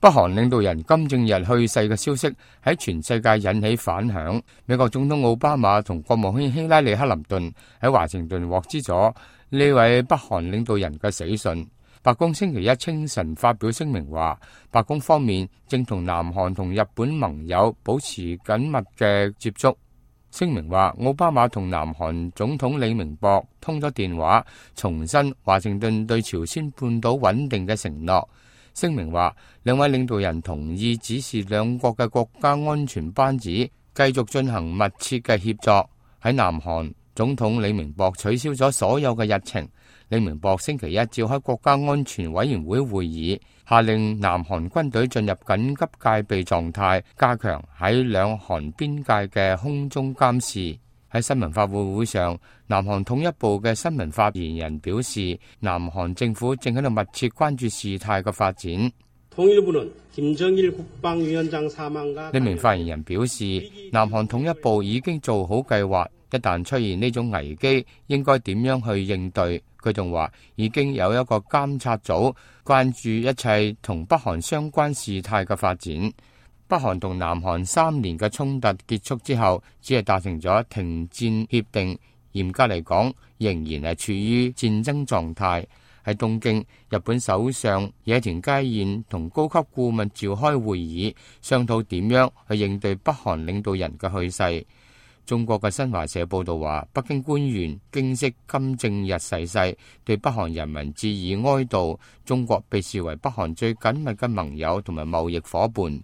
北韓領導人金正日去世嘅消息喺全世界引起反響。美國總統奧巴馬同國務卿希拉里克林頓喺華盛頓獲知咗呢位北韓領導人嘅死訊。白宮星期一清晨發表聲明話，白宮方面正同南韓同日本盟友保持緊密嘅接觸。聲明話，奧巴馬同南韓總統李明博通咗電話，重申華盛頓對朝鮮半島穩定嘅承諾。聲明話，兩位領導人同意指示兩國嘅國家安全班子繼續進行密切嘅協作。喺南韓，總統李明博取消咗所有嘅日程。李明博星期一召開國家安全委員會會議，下令南韓軍隊進入緊急戒備狀態，加強喺兩韓邊界嘅空中監視。喺新聞發佈會上，南韓統一部嘅新聞發言人表示，南韓政府正喺度密切關注事態嘅發展。呢名發言人表示，南韓統一部已經做好計劃，一旦出現呢種危機，應該點樣去應對。佢仲話，已經有一個監察組關注一切同北韓相關事態嘅發展。北韓同南韓3年嘅衝突結束之後，只係達成咗停戰協定，嚴格嚟講，仍然係處於戰爭狀態。喺東京，日本首相野田佳彥同高級顧問召開會議，商討點樣去應對北韓領導人嘅去世。中國嘅新華社報道話，北京官員驚悉金正日逝世，對北韓人民致以哀悼。中國被視為北韓最緊密嘅盟友同埋貿易夥伴。